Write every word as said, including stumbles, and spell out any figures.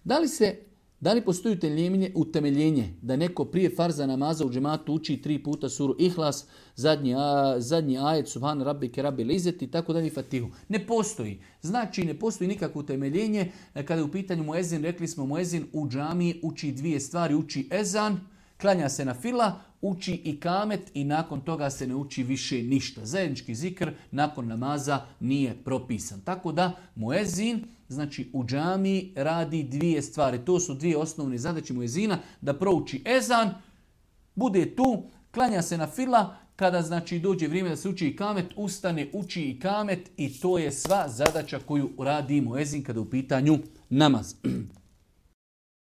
Da li se Da li postoji utemeljenje, utemeljenje da neko prije farza namaza u džematu uči tri puta suru Ihlas, zadnji, a, zadnji ajet Subhan rabbike rabbil izzati i tako dalje Fatihu? Ne postoji. Znači ne postoji nikakvo utemeljenje. Kada je u pitanju muezin, rekli smo muezin u džamiji uči dvije stvari, uči ezan, klanja se na fila, uči i kamet i nakon toga se ne uči više ništa. Zajednički zikr nakon namaza nije propisan. Tako da muezin, znači u džamiji radi dvije stvari. To su dvije osnovne zadaće muezina, da prouči ezan, bude tu, klanja se na fila, kada znači dođe vrijeme da se uči i kamet, ustane, uči i kamet i to je sva zadaća koju radi muezin kada je u pitanju namaz.